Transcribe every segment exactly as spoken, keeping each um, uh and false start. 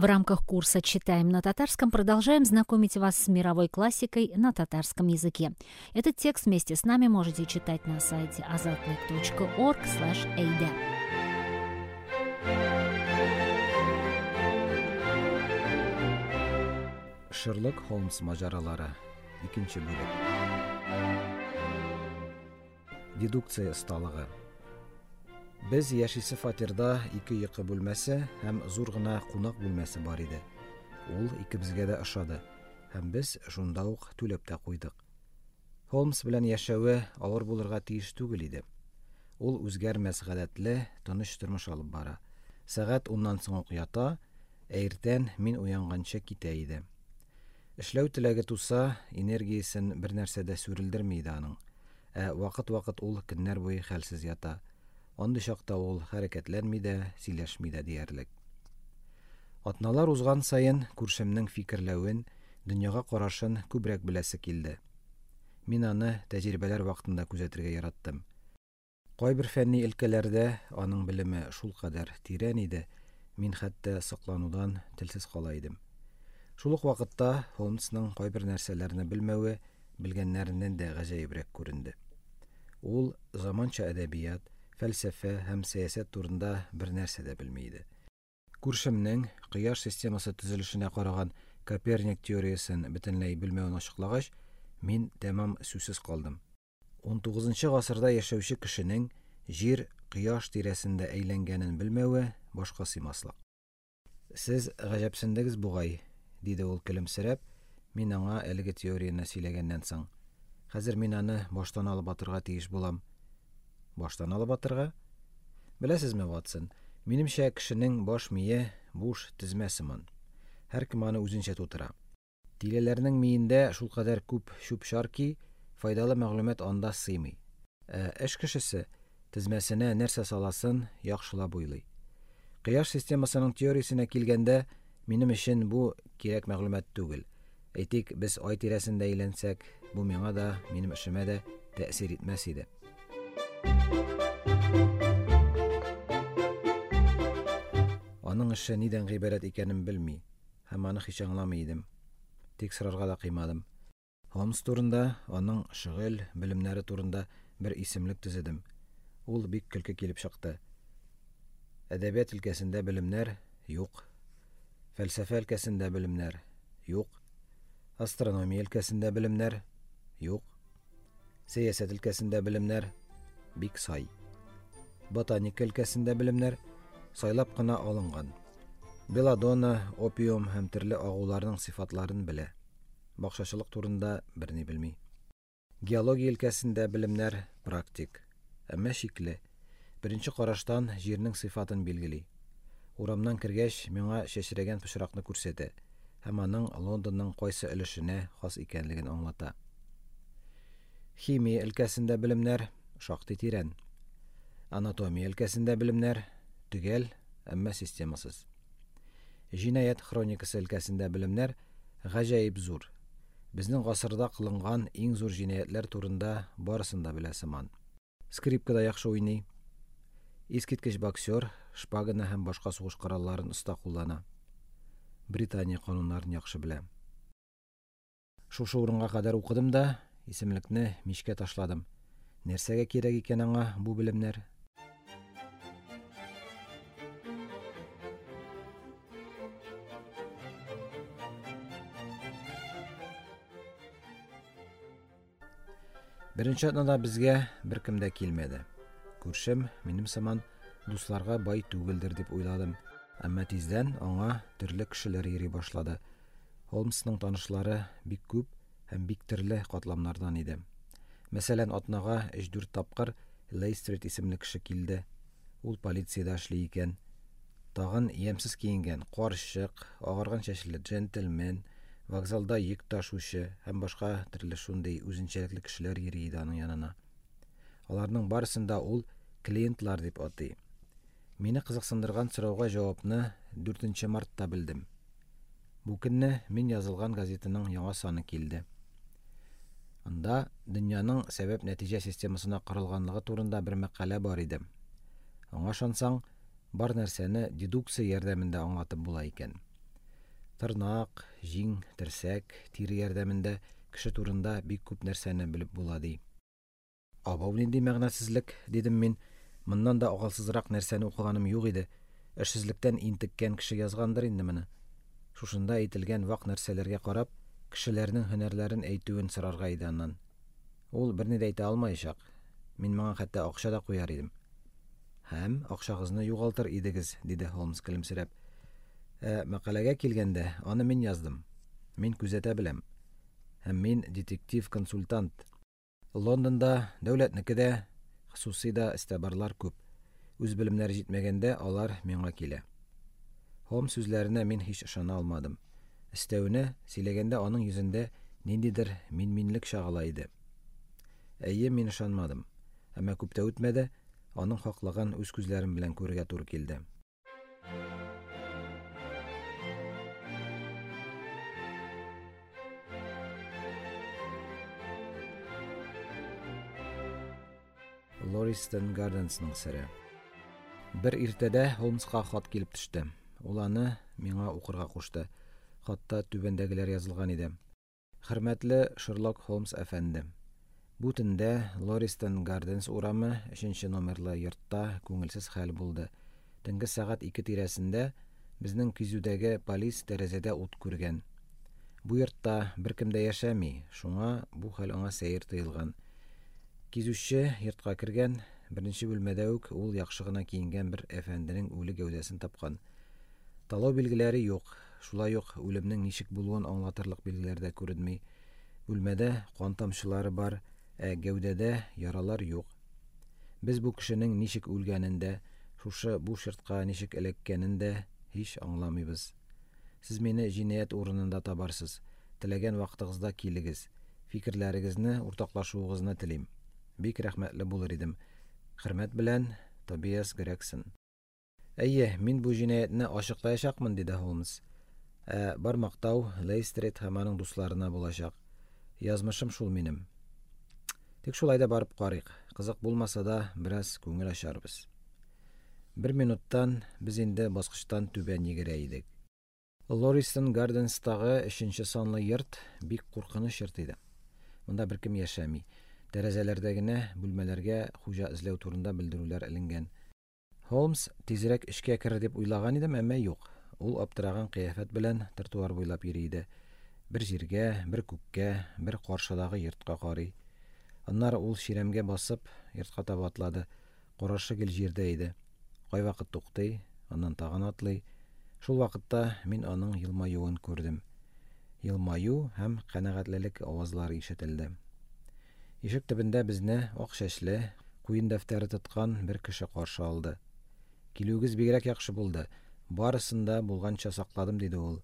В рамках курса «Читаем на татарском» продолжаем знакомить вас с мировой классикой на татарском языке. Этот текст вместе с нами можете читать на сайте азатлык точка орг слэш эйдэ. Шерлок Холмс мажаралары. Икенче бүлек. Дедукция осталыгы. Без яшисе фатирда ике йокы бүлмәсе һәм зур гына кунак бүлмәсе бар иде. Ул икебезгә дә ошады һәм без шунда ук түләп тә куйдык. Холмс белән яшәве авыр булырга тиеш түгел иде. Ул үзгәрмәс гадәтле, тыныч тормыш алып бара. Сәгать уннан соң ук ята, ә иртән мин уянганчы китә иде. Эшләү теләге туса, энергиясен бер нәрсә дә сүрелдерми иде аның. Ә вакыт-вакыт ул көннәр буе хәлсез ята. Андый чакта ул хәрәкәтләнми дә, сөйләшми дә диярлек. Атналар узган саен күршемнең фикерләвен, дөньяга карашын күбрәк беләсе килде. Мин аны тәҗрибәләр вакытында күзәтергә яраттым. Кайбер фәнни өлкәләрдә аның белеме шулкадәр тирән иде, мин хәтта сокланудан телсез кала идем. Шул ук вакытта Холмсның кайбер нәрсәләрне белмәве белгәннәреннән дә гаҗәебрәк күренде. Ул заманча әдәбият, фәлсәфә һәм сәясәт турында бер нәрсә дә белми иде. Күршемнең кояш системасы төзелешенә караган Коперник теориясен бөтенләй белмәвен ачыклагач, мин тәмам сүзсез калдым. Унтугызынчы гасырда яшәүче кешенең җир кояш тирәсендә әйләнгәнен белмәве башка сыймаслык. Сез гаҗәпсендегез бугай, диде ул көлемсерәп, мин аңа әлеге теорияне сөйләгәннән соң. Хәзер мин аны баштан алып атырга тиеш булам. Баштан алып атырга? Беләсезме, Ватсон, минемчә кешенең баш мие буш тезмә сыман. Һәркем аны үзенчә тутыра. Тилеләрнең миендә шулкадәр күп чүп-чар ки, файдалы мәгълүмат анда сыймый. Ә эш кешесе тезмәсенә нәрсә саласын яхшылап уйлый. Кояш системасының теориясенә килгәндә, минем өчен бу кирәк мәгълүмат түгел. Әйтик, без ай тирәсендә әйләнсәк, бу миңа да, минем эшемә дә тәэсир итмәс иде. Аның эше нидән гыйбарәт икәнен белми һәм аны һич аңламый идем. Тик сорарга да кыймадым. Холмс турында, аның шөгыль, белемнәре турында бер исемлек төзедем. Ул бик көлке килеп чыкты. Әдәбият өлкәсендә белемнәр юк. Фәлсәфә өлкәсендә белемнәр юк. Астрономия өлкәсендә белемнәр юк. Сәясәт өлкәсендә белемнәр бик сай. Ботаника өлкәсендә белемнәр сайлап кына алынган. Белладона, опиум һәм төрле агуларның сыйфатларын белә. Бакчачылык турында берни белми. Геология өлкәсендә белемнәр практик, әмма шикле. Беренче караштан җирнең сыйфатын билгели. Урамнан кергәч, миңа чәчрәгән пычракны күрсәтә һәм аның Лондонның кайсы өлешенә хас икәнлеген аңлата. Химия өлкәсендә белемнәр шактый тирән. Анатомия өлкәсендә белемнәр төгәл, әмма системасыз. Җинаять хроникасы өлкәсендә белемнәр гаҗәеп зур. Безнең гасырда кылынган иң зур җинаятьләр турында барысын да белә сыман. Скрипкада яхшы уйный. Искиткеч боксер, шпаганы һәм башка сугыш коралларын оста куллана. Британия кануннарын яхшы белә. Шушы урынга кадәр укыдым да, исемлекне мичкә ташладым. Нәрсәгә кирәк икән аңа бу белемнәр? Беренче атнада безгә беркем дә килмәде. Күршем минем сыман дусларга бай түгелдер дип уйладым. Әмма тиздән аңа төрле кешеләр йөри башлады. Холмсның танышлары бик күп һәм бик төрле катламнардан иде. Мәсәлән, атнага өч-дүрт тапкыр Лейстрит исемле кеше килде. Ул полициядә эшли икән. Тагын ямьсез киенгән карчык, агарган чәчле джентльмен, вокзалда йөк ташучы һәм башка төрле шундый үзенчәлекле кешеләр йөри иде аның янына. Аларның барысын да ул клиентлар дип атый. Мине кызыксындырган сорауга җавапны дүртенче мартта белдем. Бу көнне мин язылган газетаның яңа саны килде. Анда дөньяның сәбәп-нәтиҗә системасына корылганлыгы турында бер мәкалә бар иде. Аңа ышансаң, бар нәрсәне дедукция ярдәмендә аңлатып була икән. Тырнак, җиң, терсәк, тире ярдәмендә кеше турында бик күп нәрсәне белеп була, ди. Абау, нинди мәгънәсезлек, дидем мин. Моннан да акылсызрак нәрсәне укыганым юк иде. Эшсезлектән интеккән кеше язгандыр инде моны. Шушында әйтелгән вак нәрсәләргә карап, кешеләрнең һөнәрләрен әйтүен сорарга иде аннан. Ул берни дә әйтә алмаячак. Мин моңа хәтта акча да куяр идем. Һәм акчагызны югалтыр идегез, диде Холмс көлемсерәп. Ә мәкаләгә килгәндә, аны мин яздым. Мин күзәтә беләм. Һәм мин детектив-консультант. Лондонда дәүләтнеке дә, хосусый да эстәбарлар күп. Үз белемнәре җитмәгәндә алар миңа килә. Холмс сүзләренә мин һич ышана алмадым. Өстәвенә, сөйләгәндә аның йөзендә ниндидер минминлек чагыла иде. Әйе, мин ышанмадым. Әмма күп тә үтмәде, аның хаклыгын үз күзләрем белән күрергә туры килде. Лористон Гарденсның сере. Бер иртәдә Холмска хат килеп төште. Ул аны миңа укырга кушты. Хатта түбәндәгеләр язылган иде. Хөрмәтле Шерлок Холмс әфәнде, бу төндә Лористон Гарденс урамы өченче номерлы йортта күңелсез хәл булды. Төнге сәгать ике тирәсендә безнең кизүдәге полис тәрәзәдә ут күргән. Бу йортта беркем дә яшәми, шуңа бу хәл аңа сәер тоелган. Кизүче йортка кергән, беренче бүлмәдә үк ул яхшы гына киенгән бер әфәнденең үле гәүдәсен тапкан. Талау билгеләре юк, шулай ук үлемнең ничек булуын аңлатырлык билгеләр дә күренми. Бүлмәдә кан тамчылары бар, ә гәүдәдә яралар юк. Без бу кешенең ничек үлгәнен дә, шушы буш йортка ничек эләккәнен дә һич аңламыйбыз. Сез мине җинаять урынында табарсыз. Теләгән вакытыгызда килегез. Фикерләрегезне уртаклашуыгызны телим. Бик рәхмәтле булыр идем. Хөрмәт белән, Тобиас Грегсон. Әйе, мин бу җинаятьне ачыклаячакмын, диде Холмс. Ә бар мактау Лейстрейд һәм аның дусларына булачак. Язмышым шул минем. Тик шулай да барып карыйк. Кызык булмаса да, бераз күңел ачарбыз. Бер минуттан без инде баскычтан түбән йөгерә идек. Лористон Гарденстагы өченче санлы йорт бик куркыныч йорт иде. Монда беркем яшәми. Тәрәзәләрдә генә бүлмәләргә хуҗа эзләү турында белдерүләр эленгән. Холмс тизрәк эчкә керер дип уйлаган идем, әмма юк. Ул аптыраган кыяфәт белән тротуар буйлап йөри иде. Бер җиргә, бер күккә, бер каршыдагы йортка карый. Аннары ул чирәмгә басып, йортка таба атлады. Карашы гел җирдә иде. Кайвакыт туктый, аннан тагын атлый. Шул вакытта мин аның елмаюын күрдем. Елмаю һәм канәгатьлелек авазлары ишетелде. Ишек төбендә безне ак чәчле, куен дәфтәре тоткан бер кеше каршы алды. Килүегез бигрәк яхшы булды. Барысын да булганча сакладым, диде ул.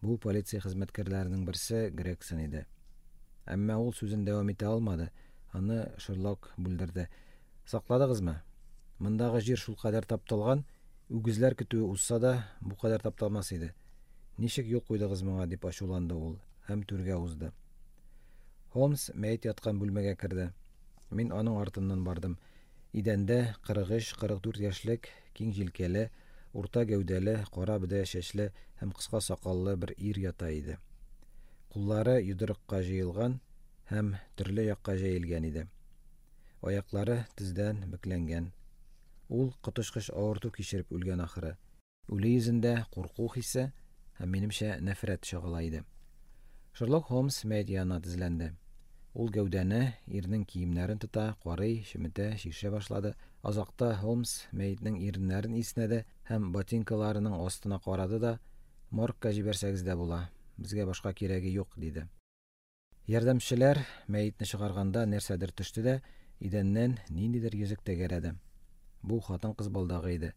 Бу полиция хезмәткәрләренең берсе Грегсон иде. Әмма ул сүзен дәвам итә алмады. Аны Шерлок бүлдерде. Сакладыгызмы? Мондагы җир шулкадәр тапталган, үгезләр көтүе узса да бу кадәр тапталмас иде. Ничек юл куйдыгыз моңа, дип ачуланды ул һәм түргә узды. Холмс мәет яткан бүлмәгә керде. Мин аның артыннан бардым. Идәндә кырык өч, кырык дүрт яшьлек, киң җилкәле, урта гәүдәле, кара бөдрә чәчле һәм кыска сакаллы бер ир ята иде. Куллары йодрыкка җыелган һәм төрле якка җәелгән иде. Аяклары тездән бөкләнгән. Ул коточкыч авырту кичереп үлгән ахыры. Үле йөзендә курку хисе һәм минемчә нәфрәт чагыла иде. Шерлок Холмс мәет янына тезләнде. Ул гәүдәне, ирнең киемнәрен тота, карый, чеметә, чишә башлады. Азакта Холмс мәетнең иреннәрен иснәде һәм ботинкаларының астына карады да, моргка җибәрсәгез дә була, безгә башка кирәге юк, диде. Ярдәмчеләр мәетне чыгарганда нәрсәдер төште дә, идәннән ниндидер йөзек тәгәрәде. Бу хатын-кыз балдагы иде.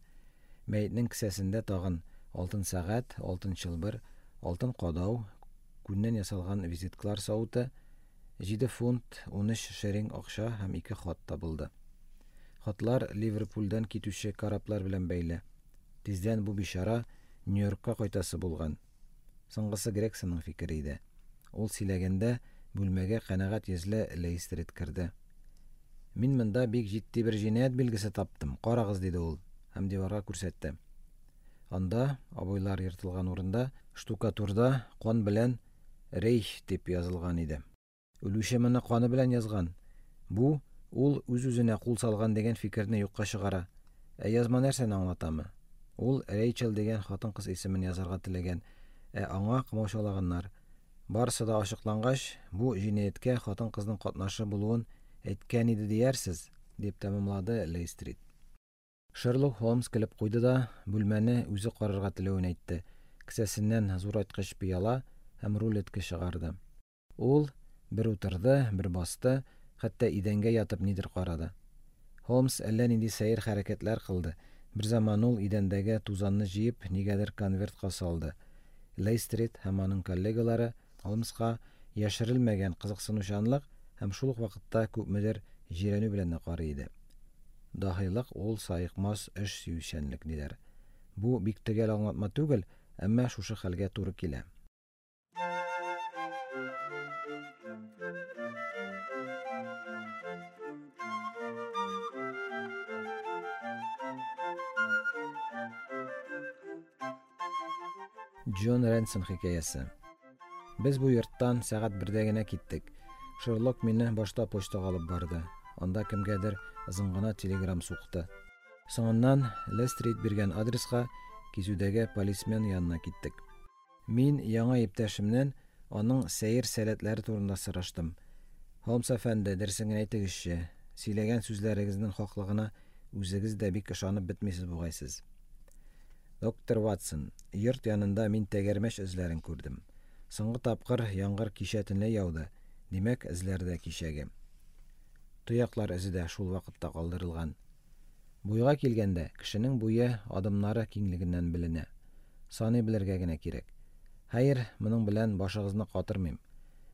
Мәетнең кесәсендә тагын алтын сәгать, алтын чылбыр, алтын кадау, күннән ясалган визиткалар савыты, җиде фунт ун өч шеринг акча һәм ике хат табылды. Хатлар Ливерпульдән китүче кораблар белән бәйле. Тиздән бу бичара Нью-Йоркка кайтасы булган. Соңгысы Грегсонның фикере иде. Ул сөйләгәндә бүлмәгә канәгать йөзле Лейстрид керде. Мин монда бик җитди бер җинаять билгесе таптым. Карагыз, диде ул һәм диварга күрсәтте. Анда, обойлар ертылган урында, штукатурда кан белән «Рейх» дип язылган иде. Үлүче моны каны белән язган. Бу ул үз-үзенә кул салган дигән фикерне юкка чыгара. Ә язма нәрсәне аңлатамы? Ул Рейчел дигән хатын-кыз исемен язарга теләгән, ә аңа комачаулаганнар. Барысы да ачыклангач, бу җинаятькә хатын-кызның катнашы булуын әйткән иде диярсез, дип тәмамлады Лейстрид. Шерлок Холмс көлеп куйды да, бүлмәне үзе карарга теләвен әйтте. Кесәсеннән зурайткыч пыяла һәм рулетка чыгарды. Ул бер утырды, бер басты, хәтта идәнгә ятып нидер карады. Холмс әллә нинди сәер хәрәкәтләр кылды. Бер заман ул идәндәге тузанны җыеп, нигәдер конвертка салды. Лейстрид һәм аның коллегалары Холмска яшерелмәгән кызыксынучанлык һәм шул ук вакытта күпмедер җирәнү белән дә карый иде. Даһилык ул саекмас эш сөючәнлек диләр. Бу бик төгәл аңлатма түгел, әмма шушы хәлгә туры килә. Джон Ренсон хикәясе. Без бу йорттан сәгать бердә генә киттек. Шерлок мине башта почтага алып барды. Анда кемгәдер озын гына телеграм сукты. Соңыннан Лестрид биргән адреска кизүдәге полисмен янына киттек. Мин яңа иптәшемнән аның сәер сәләтләре турында сораштым. Холмс әфәнде, дөресен генә әйтегезче, сөйләгән сүзләрегезнең хаклыгына үзегез дә бик ышанып бетмисез бугайсыз. Доктор Ватсон, йорт янында мин тәгәрмәч эзләрен күрдем. Соңгы тапкыр яңгыр кичә төнлә яуды. Димәк, эзләр дә кичәге. Тояклар эзе дә шул вакытта калдырылган. Буйга килгәндә, кешенең буе адымнары киңлегеннән беленә. Саный белергә генә кирәк. Хәер, моның белән башыгызны катырмыйм.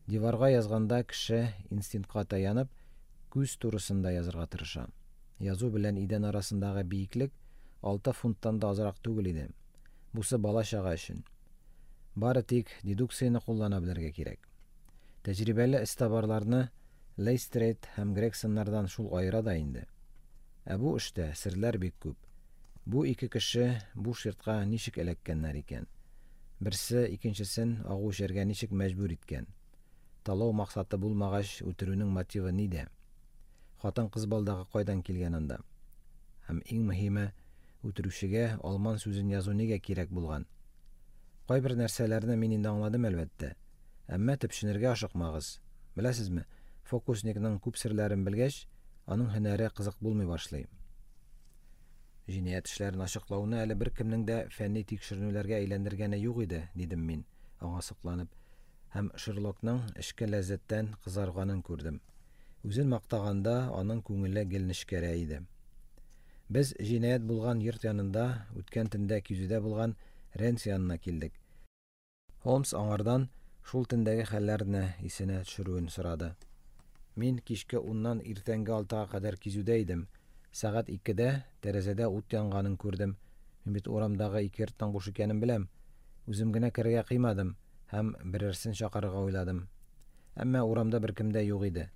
Диварга язганда кеше инстинктка таянып, күз турысында язарга тырыша. Язу белән идән арасындагы биеклек алты фунттан да азрак түгел иде. Бусы бала-чага өчен. Бары тик дедукцияне куллана белергә кирәк. Тәҗрибәле эзтабарларны Лейстрейд һәм Грегсоннардан шул аера да инде. Ә бу эштә серләр бик күп. Бу ике кеше буш йортка ничек эләккәннәр икән? Берсе икенчесен агу эчәргә ничек мәҗбүр иткән? Талау максаты булмагач, үтерүнең мотивы нидә? Хатын-кыз балдагы кайдан килгән анда? Һәм иң мөһиме, үтерүчегә алман сүзен язу нигә кирәк булган? Кайбер нәрсәләрне мин инде аңладым әлбәттә. Әмма төпченергә ашыкмагыз. Беләсезме, фокусникның күп серләрен белгәч, аның һөнәре кызык булмый башлый. Җинаять эшләрен ачыклауны әле беркемнең дә фәнни тикшеренүләргә әйләндергәне юк иде, дидем мин, аңа сокланып, һәм Шерлокның эчке ләззәттән кызарганын күрдем. Үзен мактаганда аның күңеле гел нечкәрә иде. Без җинаять булган йорт янында үткән төндә кизүдә булган Ренс янына килдек. Холмс аңардан шул төндәге хәлләрне исенә төшерүен сорады. Мин кичке уннан иртәнге алтыга кадәр кизүдә идем. Сәгать икедә тәрәзәдә ут янганын күрдем. Мин бит урамдагы ике йорттан буш икәнен беләм. Үзем генә керергә кыймадым һәм берәрсен чакырырга уйладым. Әмма урамда беркем дә юк иде.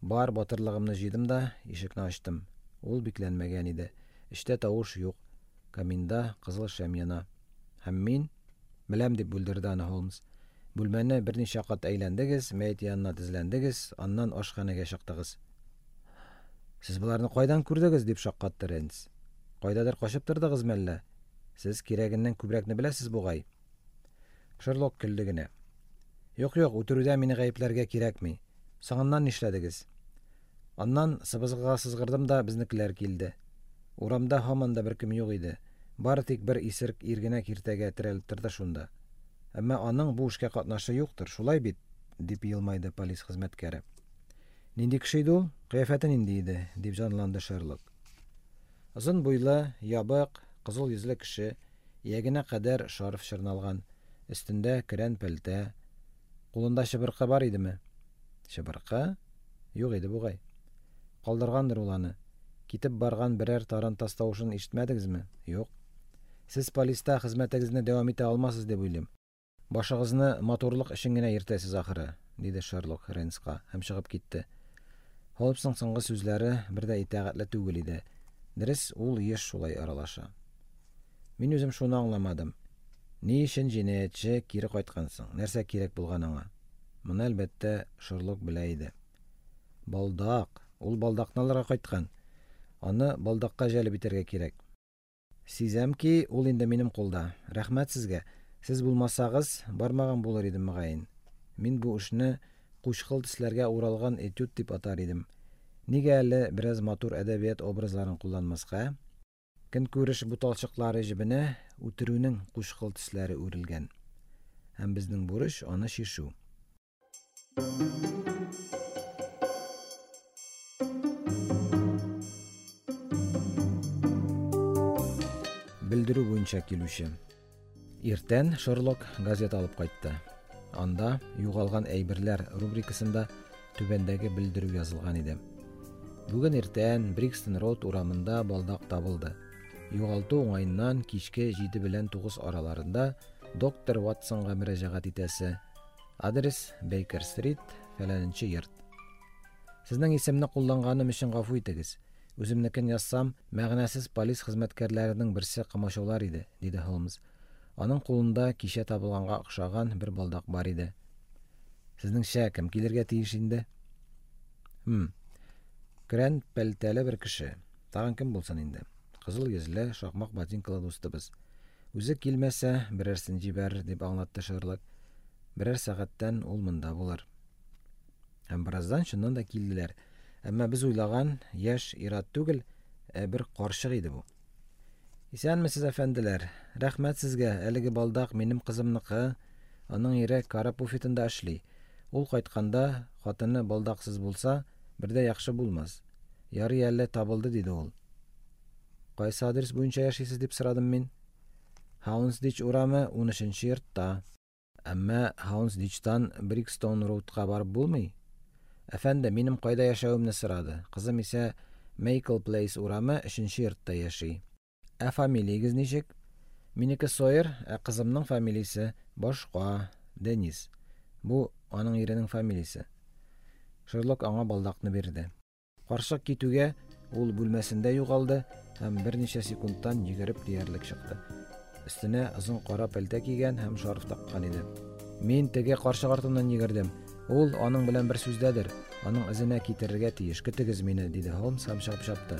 Бар батырлыгымны җыйдым да ишекне ачтым. Ул бикләнмәгән иде. Эчтә тавыш юк. Каминда кызыл шәм яна. Һәм мин беләм, дип бүлдерде аны Холмс. Бүлмәне берничә кат әйләндегез, мәет янына тезләндегез, аннан ашханәгә чыктыгыз. Сез боларны кайдан күрдегез, дип шаккатты Ренс. Кайдадыр качып тордыгыз мәллә? Сез кирәгеннән күбрәкне беләсез бугай. Шерлок көлде генә. Юк, юк, үтерүдә мине гаепләргә кирәкми. Соңыннан нишләдегез? Аннан сыбызгыга сызгырдым да безнекеләр килде. Урамда һаман да беркем юк иде. Бары тик бер исерек ир генә киртәгә терәлеп торды шунда. Әмма аның бу эшкә катнашы юктыр, шулай бит, дип елмайды полис хезмәткәре. Нинди кеше иде ул? Кыяфәте нинди иде? Дип җанланды Шерлок. Озын буйлы, ябык, кызыл йөзле кеше, иягенә кадәр шарф чорналган, өстендә көрән пәлтә. Кулында чыбыркы бар идеме? Чыбыркы? Юк иде бугай. Калдыргандыр ул аны. Китеп барган берәр тарантас тавышын ишетмәдегезме? Юк. Сез полиста хезмәтегезне дәвам итә алмассыз дип уйлыйм. Башыгызны матурлык өчен генә йөртәсез ахыры, диде Шерлок Ренска һәм чыгып китте. Холмсның соңгы сүзләре бер дә итагатьле түгел иде. Дөрес, ул еш шулай аралаша. Мин үзем шуны аңламадым. Ни өчен җинаятьче кире кайткан соң? Нәрсә кирәк булган аңа? Моны, әлбәттә, Шерлок белә иде. Балдак. Ул балдакны алырга кайткан. Аны балдакка җәлеп итәргә кирәк. Сизәм ки, ул инде минем кулда. Рәхмәт сезгә. Сез булмасагыз, бармаган булыр идем мөгаен. Мин бу эшне кучкыл төсләргә уралган этюд дип атар идем. Нигә әле бераз матур әдәбият образларын кулланмаска? Көнкүреш буталчыклары җебенә үтерүнең кучкыл төсләре үрелгән. Һәм безнең бурыч аны чишү. Белдерү буенча килүче. Иртән Шерлок газета алып кайтты. Анда югалган әйберләр рубрикасында түбәндәге белдерү язылган иде. Бүген иртән Брикстон Роуд урамында балдак табылды. Югалту уңаеннан кичке җиде белән тугыз араларында доктор Ватсонга мөрәҗәгать итәсе. Адрес: Бейкер Стрит, фәләненче йорт. Сезнең исемне кулланганым өчен гафу итегез. Үземнекен язсам, мәгънәсез полис хезмәткәрләренең берсе комачаулар иде, диде Холмс. Аның кулында кичә табылганга охшаган бер балдак бар иде. Сезнеңчә, кем килергә тиеш инде? Хм. Көрән пәлтәле бер кеше. Тагын кем булсын инде? Кызыл йөзле, шакмак ботинкалы дустыбыз. Үзе килмәсә, берәрсен җибәрер, дип аңлатты Шерлок. Берәр сәгатьтән ул монда булыр. Һәм бераздан чыннан да килделәр. Әмма без уйлаган яшь ир-ат түгел, ә бер карчык иде бу. Исәнмесез, әфәнделәр. Рәхмәт сезгә. Әлеге балдак минем кызымныкы. Аның ире кара буфетында эшли. Ул кайтканда хатыны балдаксыз булса, бер дә яхшы булмас. Ярый әле табылды, диде ул. Кайсы адрес буенча яшисез, дип сорадым мин. Хаунсдич урамы, унөченче йортта. Әмма Хаунсдичтан Брикстон Роудка барып булмый. Әфәнде минем кайда яшәвемне сорады. Кызым исә Мейкл Плейс урамы, өченче йортта яши. Ә фамилиягез ничек? Минеке Сойер, ә кызымның фамилиясе башка, Денис. Бу аның иренең фамилиясе. Шерлок аңа балдакны бирде. Карчык китүгә ул бүлмәсендә югалды һәм берничә секундтан йөгереп диярлек чыкты. Өстенә озын кара пәлтә кигән һәм шарф таккан иде. Мин теге карчык артыннан йөгердем. Ул аның белән бер сүздәдер. Аның эзенә китерергә тиеш. Көтегез мине, диде Холмс һәм чыгып чапты.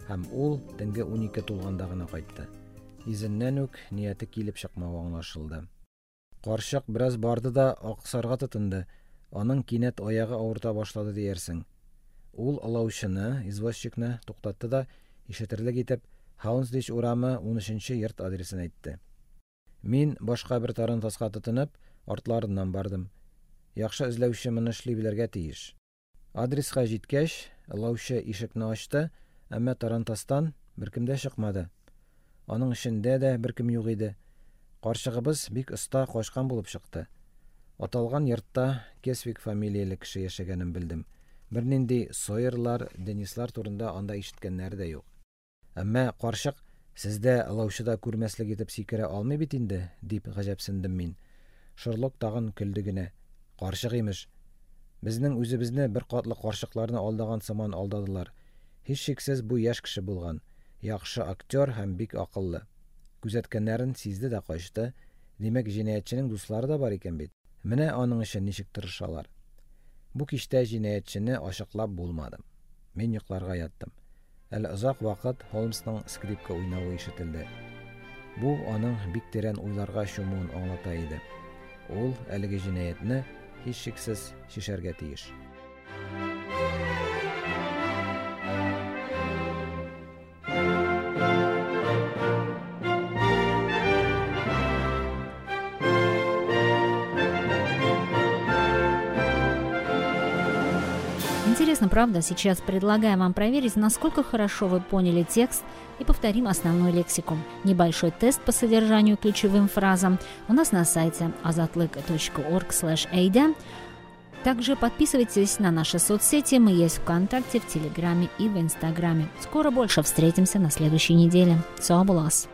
Һәм ул төнге унике тулганда гына кайтты. Изеннән үк нияте килеп чыкмавы аңлашылды. Карчык бераз барды да аксарга тотынды. Аның кинәт аягы авырта башлады диярсең. Ул олаучыны, извозчикны туктатты да, ишетерлек итеп, Хаунсдич урамы, унөченче йорт адресын әйтте. Мин башка бер тарантаска тотынып, артларыннан бардым. Яхшы эзләүче моны эшли белергә тиеш. Адреска җиткәч, олаучы ишекне ачты, әмма тарантастан беркем дә чыкмады. Аның эчендә дә беркем юк иде. Карчыгыбыз бик оста качкан булып чыкты. Аталган йортта Кесвик фамилияле кеше яшәгәнен белдем. Бернинди Сойерлар, Денислар турында анда ишеткәннәре дә юк. Әмма карчык сездә олаучыда күрмәслек итеп сикерә алмый бит инде, дип гаҗәпсендем мин. Шерлок тагын көлде генә. Карчык имеш. Безнең үзебезне бер катлы карчыкларны алдаган сыман алдадылар. Һичшиксез бу яшь кеше булган. Яхшы актер һәм бик акыллы. Күзәткәннәрен сизде дә качты. Димәк, җинаятьченең дуслары да бар икән бит. Менә аның өчен ничек тырышалар. Бу кичтә җинаятьчене ачыклап булмады. Мин йокларга яттым. Әле озак вакыт Холмсның скрипка уйнавы ишетелде. Бу аның бик тирән уйларга чумуын аңлата иде. Ул әлеге җинаятьне һичшиксез чишәргә тиеш. Интересно, правда? Сейчас предлагаем вам проверить, насколько хорошо вы поняли текст, и повторим основную лексику. Небольшой тест по содержанию ключевым фразам у нас на сайте азатлык точка орг слэш эйда. Также подписывайтесь на наши соцсети. Мы есть ВКонтакте, в Телеграме и в Инстаграме. Скоро больше. Встретимся на следующей неделе. Сау булас!